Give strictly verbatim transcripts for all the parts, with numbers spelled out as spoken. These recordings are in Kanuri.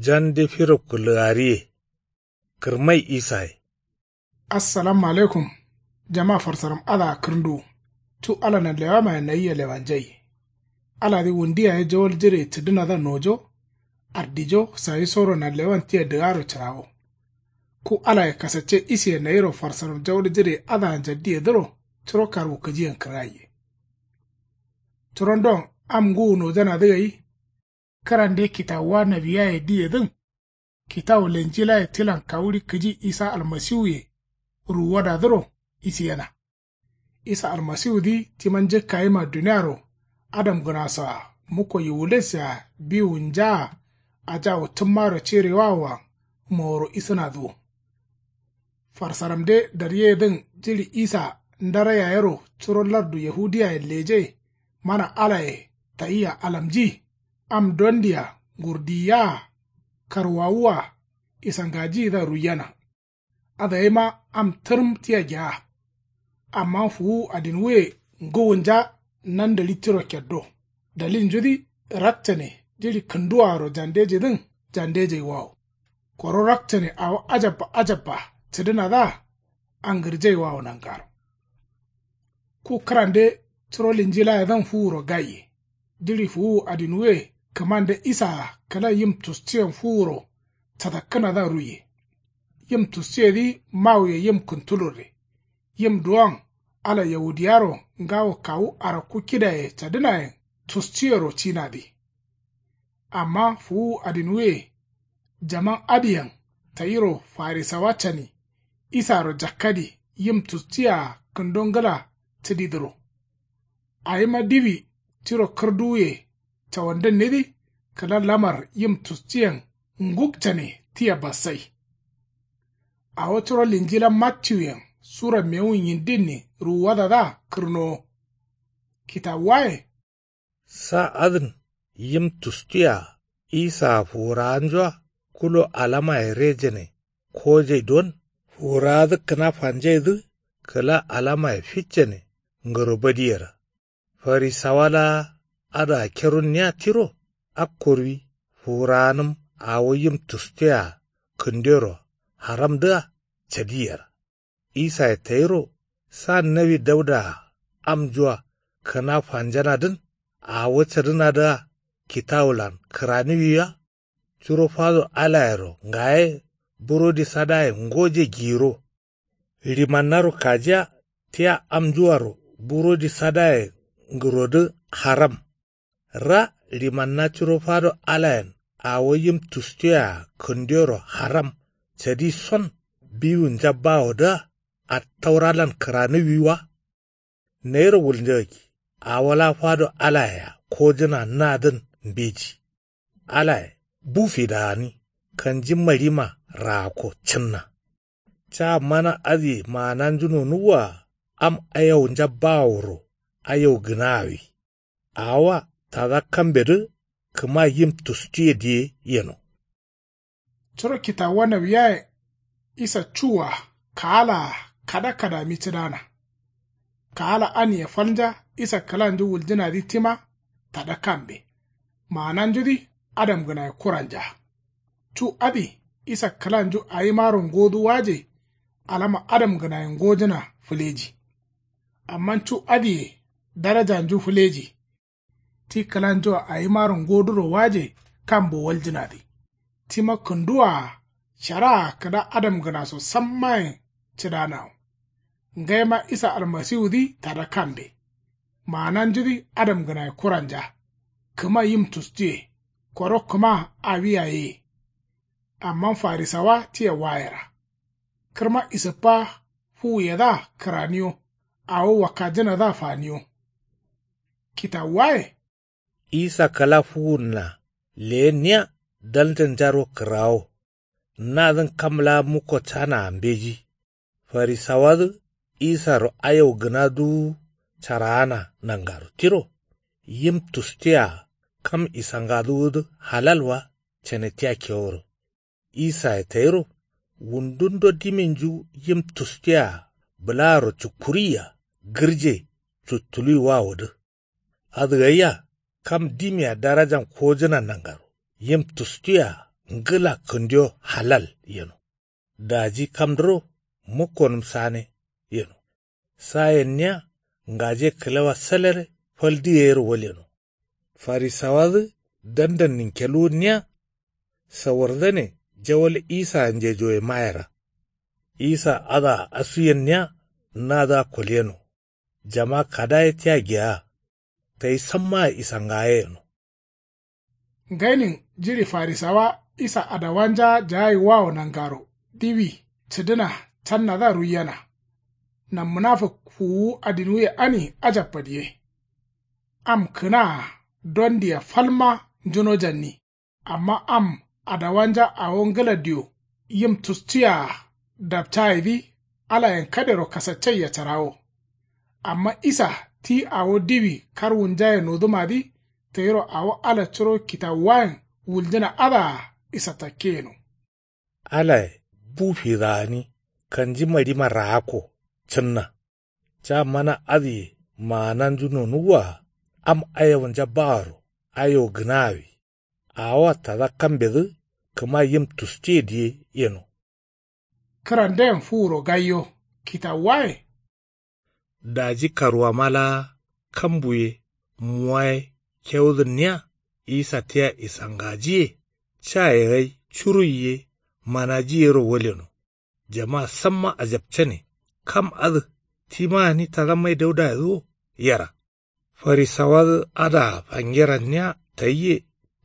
Jande firo kǝlgariye. Kǝrmai isaye. Assalamu alaikum. Jama farsaram adǝa kǝrnduwu. Cu ala nanlewamaye nayia lewanjai. Aladǝ wundu yaye jawal jire cǝdǝnadǝa nojo. Ardijo sayisoro nanlewan tia dǝgaro cǝrawo. Ku alaye kasacce isiye nayiro farsaram jawal jire adǝa njaddiyedǝro curo karwukǝjiyen kǝrgaiye. Curondon am ngǝwu nojanadǝ gai. Kǝrande kitawuwa nawiyaye diyedǝn. Kitawu lenjilaye tilan kawuɍi kǝji isa almasiwuye. Ruwuwadadǝro isiyena. Isa almasiwudǝ tima njǝkkayima duniaro adamgǝnasoa mukko yiwules-a biwunjaa. Ajawu tǝmmaro cirewawoa moworo isǝnadǝ wo. Farsaramde daryeyedǝn jiɍi isa ndara yayero curo lardu yahudiyayen leje. Mana alaye tayia alamji. Am dondia ngurdiyaa. Karwawua isangajiyidǝa ruiyena. Adǝ gaima am tǝrǝm tia gea. Amma fuwuwu adinwuye ngǝwunja nandǝɍi tiro keddo. Dalilnjudǝ rakcane jiɍi kǝnduwaaro jandejidǝn jandejaiwawo. Koro rakcane awo ajabba ajabba cǝdǝnadǝa angǝrjaiwawo nangaro. Ku kǝrande curo linjilayedǝn fuwuro gaiye. Jiɍi fuwuwu adinwuye kǝmande isaa kǝla yim tustiyen fuwuro cadakkǝnadǝa ruiye. Yim tustiyedǝ mawuye yim kǝntulurre. Yim duwon ala yahudiyaro ngawo kawu arakku kidaye cadǝnayen tustiyero cinadǝ. Amma fuwuwu adinwuye jaman adǝyen tayiro farisawa cani isaro jakkadi yim tustiya kǝndo ngǝla cǝdidǝro. Awima diwi tiro kǝrduwuye cawandǝnnidǝ kǝla lamar yim tustiyen ngukcane tia bassai. Awo curo linjila mattiwuyen sura mewun yindinni ruwuwadadǝa kǝrnowo. Kitawuwaye. Sa adǝn yim tustiya isaa fuwurawanjua kulo alamaye rejane kojai don fuwurawadǝ kǝna fanjaidǝ kǝla alamaye ficcane ngǝro badiyera. Farisawa laa adǝa kerunniya tiro akkoruwi fuwurawanǝm awo yim tustiya kǝndero haramdǝa cadiyera. Isaye tayiro sa nawi daudaa amjua kǝna fanjanadǝn awo cadǝnadǝa kitawulan kǝraniwi wa. Curo fado alayero ngaye burodi sadaye ngoje giyiro. Ɍimannaro kajiya tia amjuaro burodi sadaye ngǝrodǝ haram. Ra ɍimanna curo fado alayen awo yim tustuye-a kǝndero haram cadi son biwunja bawodǝa attauralan kǝranǝwi wa. Nayiro wulnjagakki awo laa fado alaye-a kojǝna nadǝn mbeji. Alaye bu fidagani kanji maɍima raakko cǝnna. Ca mana adǝye maananju nonuwwa-a am ayaunja baworo ayaugǝnaawi. Awowa tada kambedǝ kǝma yim tustuye diye yeno. Curo kitawuwa nawiyaye isa cuwua kaalaa kada kadami cǝdana. Kaala anie falnja isa kǝlanju wuljǝnadǝ tima tada kambe. Maananjudǝ adamgǝnaye kuranja. Cu adǝ isa kǝlanju awimaro ngodǝ waje. Alama adamgǝnaye ngojǝna fǝleji. Amma cu adǝye darajanju fǝleji. Ti kǝlanjua awimaro ngoduro waje kambo waljǝnadǝ. Tima kǝnduwaa sharaa kǝla adamgǝnaso sammayen cǝdanawo. Ngaima isa almasiwudǝ tada kambe. Maananjudǝ adamgǝnaye kuranja. Kǝma yim tustuye koro kǝma awi yayeye. Amma farisawa tia wayera. Kǝrma isǝppa fuwuyedǝa kǝraniyo. Awo wakkajǝnadǝa faniyo. Kitawuwaye. Isa kǝla fuwunna leyenniya daljanjaro kǝrawo. Nadǝn kam laa mukko canaa mbeji. Farisawadǝ isaro ayau gǝna duwu caraana nangaro tiro. Yim tustiya kam isangaduwudǝ halal wa cane tia keworo. Isaye tayiro wundundo diminju yim tustiya bǝlaaro cukkuruiya gǝrje cuttuluwi wawodǝ. Adǝgaiya kam dimia darajan kojǝna nangaro yim tustuya ngǝla kǝndiyo halal yeno. Daji kamdǝro mukkonǝm sane yeno. Sayenniya ngaje kǝlewa salere fal diyeyero walyeno. Farisawadǝ dandannin kelwunniya. Sawardzane jawal isayinjejoye mayera. Isa adǝa asuyenniya nadǝa kolyeno. Jama kada ye tia geya. Tayi sammaa isangaye yeno. Ngainin jiɍi farisawa isa adawanja jagaiwawo nangaro diwi cǝdǝna cannadǝa ruiyena. Nam munafuk fuwuwu adinwuye ani ajabba diye. Am kǝnaa dondia falma njunojanni. Amma am adawanja awo ngǝla dio yim tustuye-a dapcayedǝ alayen kadero kasaccaiya carawo. Amma isa ti awo diwi karwunjaye nodǝmadǝ tayiro awo ala curo kitawuwayen wuljǝna adǝa isa takke yeno. Alaye bu fidagani kanji maɍima raakko cǝnna. Ca mana adǝye maananju nonuwwa-a am ayawunja baworo ayo gǝnawi. Awoa tada kambedǝ kǝma yim tustuye diye yeno. Kǝranden fuwuro gaiyo kitawuwaye. Daji karwama laa kambu ye muwa ye kewudǝnniya. Isa tia isangajiye caye gai curuyi ye manaji yero walyeno. Jama samma ajapcane. Kam adǝ tima gǝni tada mai daudayedǝ wo yera. Farisawadǝ adǝa fangeranniya tayye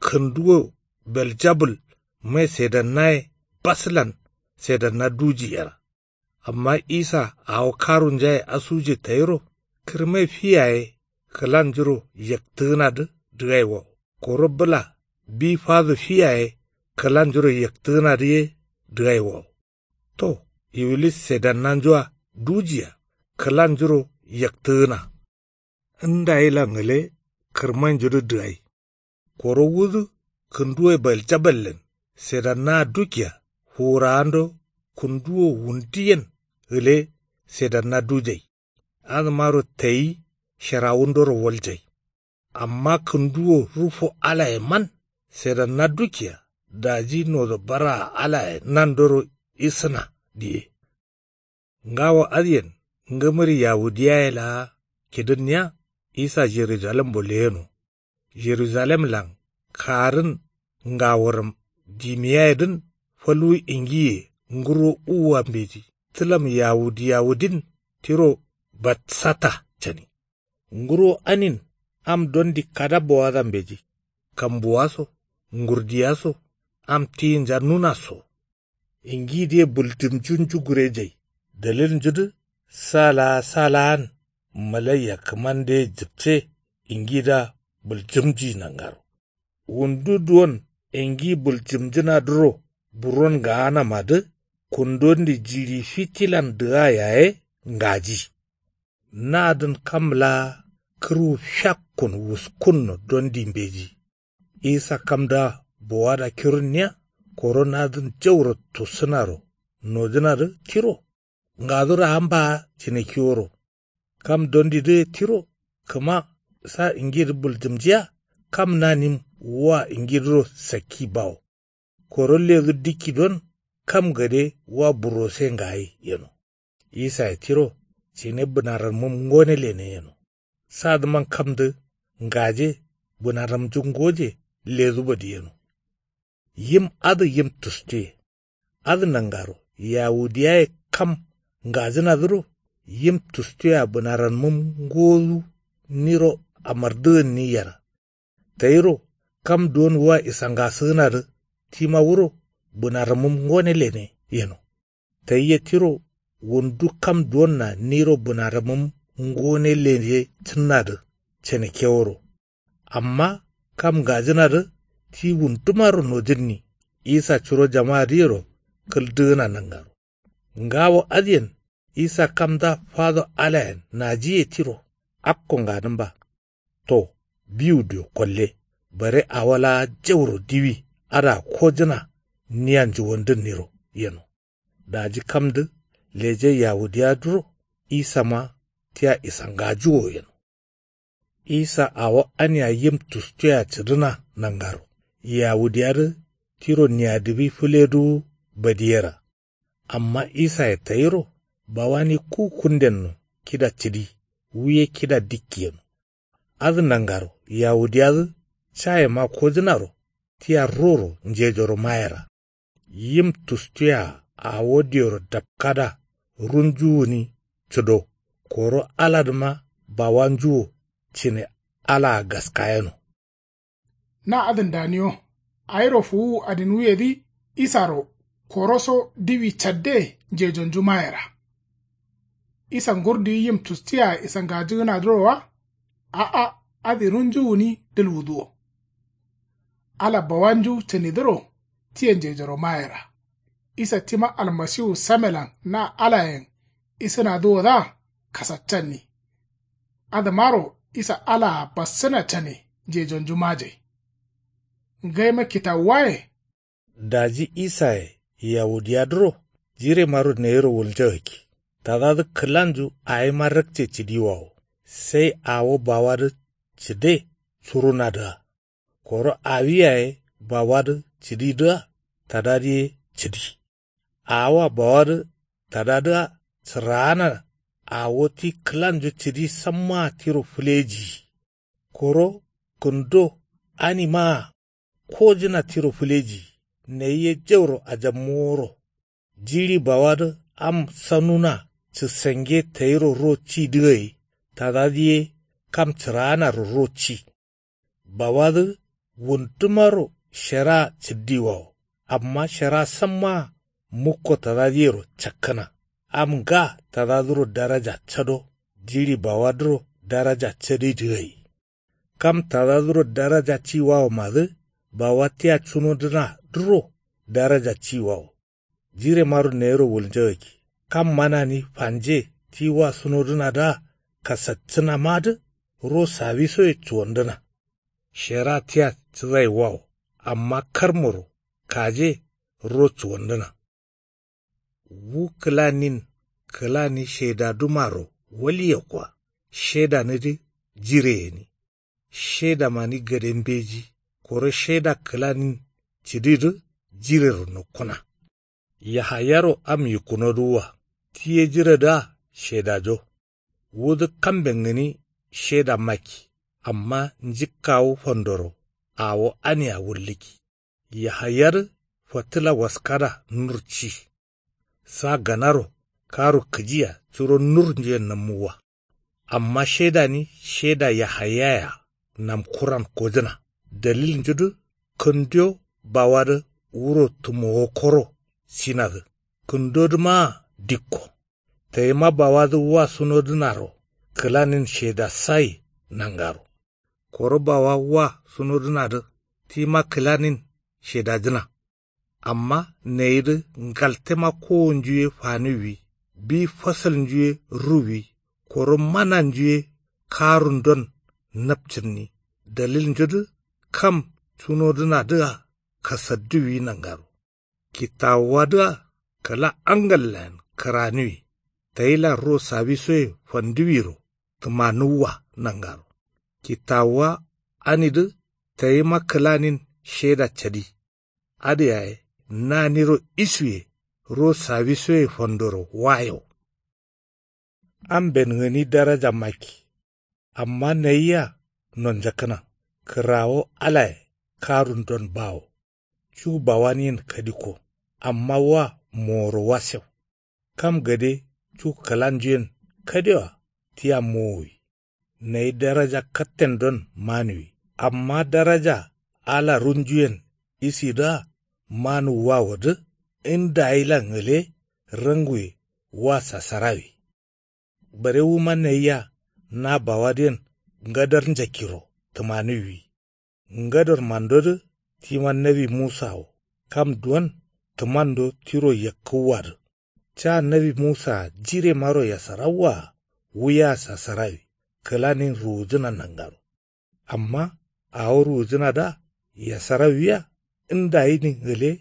kǝnduwo beljabul mai sedannaye baslan sedanna duji yera. Amma isa awo karunjaye asuje tayiro kǝrmai fi yaye kǝlanjuro yaktǝgǝnadǝ dǝgaiwawo koro bǝla bi fado fi yaye kǝlanjuro yaktǝgǝnadǝ ye dǝgaiwawo. To iwilis sedannanju-a duji-a kǝlanjuro yaktǝgǝna. Ndayilan gǝle kǝrmainjudǝ dǝgai. Koro wudǝ kǝnduwe baljaballen sedannaa dukia fuwurawando kǝnduwo wunduyen gǝle sedanna dujai. Adǝmaro tayi sherawundoro waljai. Amma kǝnduwo rufo alayeman sedanna dukia daji nodo baraa alaye nandoro isǝna diye. Ngawo adǝyen ngǝmǝri yawudiyaye laa kidǝnniya isa jerujalembo leyeno. Jerujalemlan kaarǝn ngaworam dimiyayedǝn falwu ingiye nguro uwua mbeji tǝlam yawudiyawudin tiro batsata cani. Nguro anin am dondi kada bowada mbeji. Kambuwa so ngurdiya so am tiyinja nuna so. Ingidǝye buljǝmjunju gurejai dalilnjudǝ sa laa sa laan malaiya kǝmandǝye jǝpce ingidǝa buljǝmji nangaro. Wundu duwon ingi buljǝmjǝnadǝro buron gaanamadǝ kundondi jiɍi fitilan dǝga yaye ngaji. Nadǝn kam laa kǝrwu fiakkun wuskunno dondi mbeji. Isa kamdǝa bowada kirunniya koro nadǝn jauro tussǝnaro nojǝnadǝ tiro. Ngaduro amba cǝne kiworo. Kam dondidǝ ye tiro kǝma sa ingidǝ buljǝmjiya kam nanim wa ingidǝro sakki bawo. Koro ledu dikki don kam gade wa burose ngayi yeno. Isaye tiro cǝne bǝnaranmǝm ngone lene yeno. Sadǝman kamdǝ ngaje bǝnaramnju ngoje leduba diyeno. Yim adǝ yim tustuye. Adǝ nangaro yawudiyaye kam ngajǝnadǝro yim tustuye-a bǝnaranmǝm ngodu niro amardǝgǝnni yera. Tayiro kam duwon wua isangasǝgǝnadǝ tima wuro bǝnaramǝm ngone lene yeno. Tayi ye tiro wundu kam duwonna niro bǝnaramǝm ngone lene cǝnnadǝ cene keworo. Amma kam ngajǝnadǝ ti wundumaro nojǝnni isa curo jamadǝyero kǝldǝgǝna nangaro. Ngawo adǝyen isa kamda fado alayen najiye tiro akko nganǝmba. To biwuduyo kolle bare awo laa jauro diwi adǝa kojǝna niya njuwandǝnniro yeno. Daji kamdǝ leje yawudiyadǝro isama tia isangajuwo yeno. Isa awo ania yim tustuye-a cǝdǝna nangaro yawudiyadǝ tiro niyadibi fǝleduwu badiyera. Amma isaye tayiro bawani ku kundenno kida cǝdi wu ye kida dikki yeno. Adǝ nangaro yawudiyadǝ cayema kojǝnaro tia roro njejoro mayera. Yim tustuye-a awo dioro dapkada runju gǝni cǝdo. Koro aladǝma bawanju wo cǝne alaa gaskayeno. Na adǝn daniyo. Awiro fuwuwu adinwuyedǝ isaro koroso diwi cadde njejonju mayera. Isa ngurdiyi yim tustiye-a isangajǝgǝnadǝro wa? A'a. Adǝ runju gǝni dǝlwudǝ wo. Ala bawanju cǝnidǝro tiye njejoro mayera. Isa tima almasiwu samelan na alayen isǝnadǝwodǝa kasaccanni. Adǝmaro isa alaa bassǝna cane njejonju majai. Ngaima kitawuwaye. Daji isaye yawudiyadǝro jiremaro nayiro wulnjagakki. Tadadǝ kǝlanju awima rakce cǝdiwawo. Sai awo bawadǝ cǝde curunadǝa. Koro awi yaye bawadǝ cǝdidǝa tadadǝ ye cǝdi. Awoa bawadǝ tadadǝa cǝraana. Awo ti kǝlanju cǝdi sammaa tiro fǝlejiyi. Koro kǝndo animaa kojǝna tiro fǝlejiyi. Nayi ye jauro ajabmoworo. Jiɍi bawadǝ am sanuna cǝsange tayiro ro cidǝ gai tadadǝ ye kam cǝraanaro ro ci. Bawadǝ wundumaro sheraa cǝddiwawo. Amma sheraa sammaa mukko tadadǝyero cakkǝna. Am nga tadadǝro daraja cado jiɍi bawadǝro daraja cadidǝ gai. Kam tadadǝro daraja ciwawomadǝ bawa tia cunodǝnadǝro daraja ciwawo. Jiremaro nayiro wulnjagakki kam manani fanje ti wa sunodǝnadǝa kasaccǝnamadǝ ro sawisoye cuwandǝna. Shera tia cǝzai wawo amma karmoro kaje ro cuwandǝna. Wu kǝlanin kǝlani shedadumaro walye kwa. Shedanidǝ jire gǝni. Shedamani gade mbeji koro sheda kǝlanin cǝdidǝ jirero nokkuna. Yahayaro am yikkunodǝwwa ti ye jiredǝa shedajo. Wudǝ kamben gǝni sheda makki amma njikkawu fandoro awo ania wullǝkki. Yahayadǝ fattǝla waskada nur ci. Sa ganaro karu kǝjiya curo nurnjuyen nammuwwa. Amma shedani sheda yahayayea namkuran kojǝna. Dalilnjudǝ kǝnduyo bawadǝ wuro tǝmowo koro sinadǝ kǝndodǝmaa dikko. Tayima bawadǝ wa sunodǝnaro kǝlanin shedasayi nangaro. Koro bawa wa sunodǝnadǝ tima kǝlanin shedajǝna. Amma nayidǝ ngaltema kowonju ye faniwwi bi fasalnju ye ruwwi koro mananju ye karundon napcǝnni. Dalilnjudǝ kam cunodǝnadǝa kasadduwwi nangaro. Kitawuwadǝa kǝla angallayen kǝraniwi. Tayilan ro sawisoye fanduwiro tǝmanuwwa nangaro. Kitawuwa anidǝ tayima kǝlanin sheda cadi. Adǝ yaye naniro isuye ro sawisoye fandoro wayo. Amben gǝni daraja makki. Amma nayia nonjakkǝna kǝrawo alaye karundon bawo. Cu bawaniyen kadikko amma wa moworo wasew. Kam gade cu kǝlanjuyen kadewa tia mowowi. Nayi daraja kattendon manuwi amma daraja ala runjuyen isidǝa manuwwawodǝ ndayilan gǝle ranguwe wa sasarawi. Bare wuma nayia na bawadǝyen ngadar njakkiro tǝmanuwwi. Ngadar mandodǝ tima nawi musa wo. Kam duwon tǝmando tiro yakkǝwwadǝ ca nawi musaa jiremaro yasarawwaa wuya sasarawi kǝlanin ruwujǝna nangaro. Amma awo ruwujǝnadǝa yasarawiya ndayinin gǝle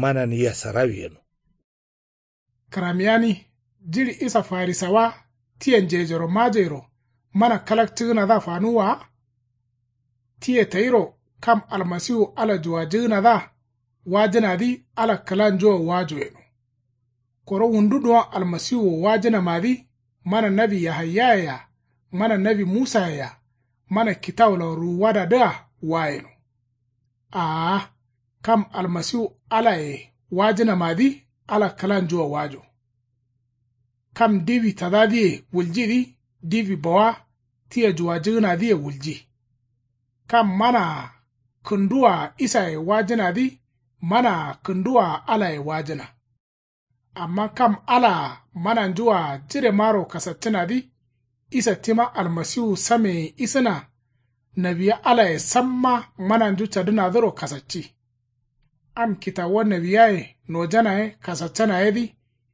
manani yasarawi yeno. Kǝramiyani jiɍi isa farisawa tiye njejoro majairo mana kalakcǝgǝnadǝa fanuwwa wa? Tiye tayiro kam almasiwu ala juwajǝgǝnadǝa wajǝnadǝ ala kǝlanjuwa wajo yeno. Koro wundu duwon almasiwuwo wajǝnamadǝ mana nawi yahayyayea, mana nawi musayea, mana kitawulan ruwuwadadǝa wa yeno. Aa, kam almasiwu alaye wajǝnamadǝ ala kǝlanjuwa wajo. Kam diwi tadadǝye wuljidǝ diwi bawa tia juwajǝgǝnadǝye wulji. Kam manaa kǝnduwaa isaye wajǝnadǝ manaa kǝnduwaa alaye wajǝna. Amma kam alaa mananjuwaa jiremaro kasaccǝnadǝ isa tima almasiwu sameyen isǝna. Nawiya alaye samma mananju cadǝnadǝro kasacci. Am kitawuwa nawiyaye nojana ye kasaccana yedǝ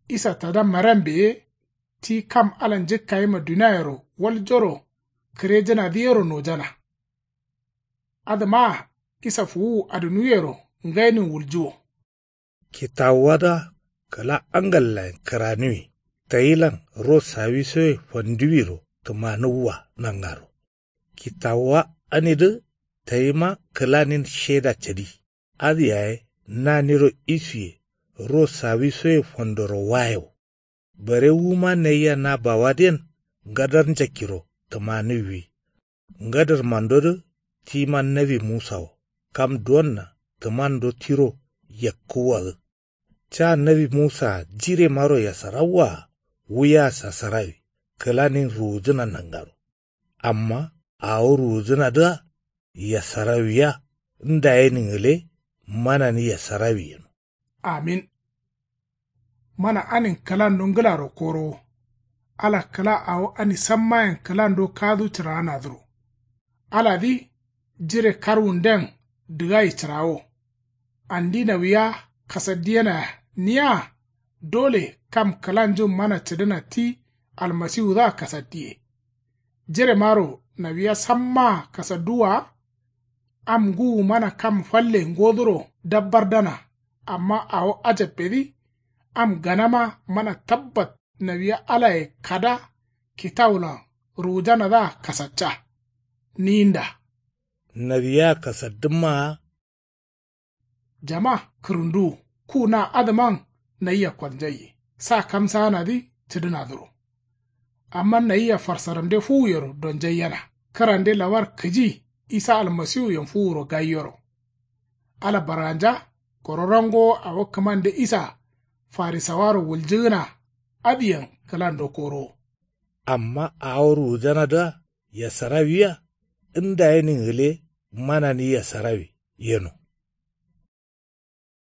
isa tada marembe ye ti kam ala njǝkkayima duniayero waljoro kǝrejǝnadǝ yero nojana. Adǝmaa isa fuwuwu adǝnuyero ngainin wuljuwo. Kitawuwadǝa kǝla angallayen kǝranuwi tayilan ro sawisoye fanduwiro tǝmanǝwwa nangaro. Kitawuwa anidǝ tayima kǝlanin sheda cadi. Adǝ yaye naniro isuye ro sawisoye fandoro waye wo. Bare wuma nayia na bawadǝyen ngadar njakkiro tǝmanǝwwi. Ngadarmandodǝ tima nawi musa wo kam duwonna tǝmando tiro yakkǝwwadǝ. Ca nawi musaa jiremaro yasarawwaa wuya sasarawi kǝlanin ruwujǝna nangaro. Amma awo ruwujǝnadǝa yasarawiya ndayenin gǝle manani yasarawi yeno. Amin. Mana anin kǝlando ngǝlaro korowo. Ala kǝla awo ani sammayen kǝlando kadu cǝraanadǝro. Aladǝ jire karwunden dǝgayi cǝrawo. Andi nawiya kasaddiyenaya niya. Dole kam kǝlanjun mana cǝdǝna ti almasiwudǝa kasaddiye. Jiremaro nawiya sammaa kasadduwwa. Am ngǝwu mana kam falle ngoduro dabbardana. Amma awo ajabbedǝ am ganama mana tabbat nawiya alaye kada kitawulan ruwujanadǝa kasacca. Ninda nawiya kasaddǝmmaa. Jama kǝrǝnduwu ku na adǝman nayia kolnjaiye sa kamsaanadǝ cǝdǝnadǝro. Amma nayia farsaramde fuwuyero donjaiyena kǝrande lawar kǝji isa almasiwuyen fuwuro gaiyoro. Ala barganja koro rangowo awo kǝmande isa farisawaro wuljǝgǝna adǝyen kǝlando korowo. Amma awo ruwujanadǝa yasarawiya ndayenin gǝle manani yasarawi yeno.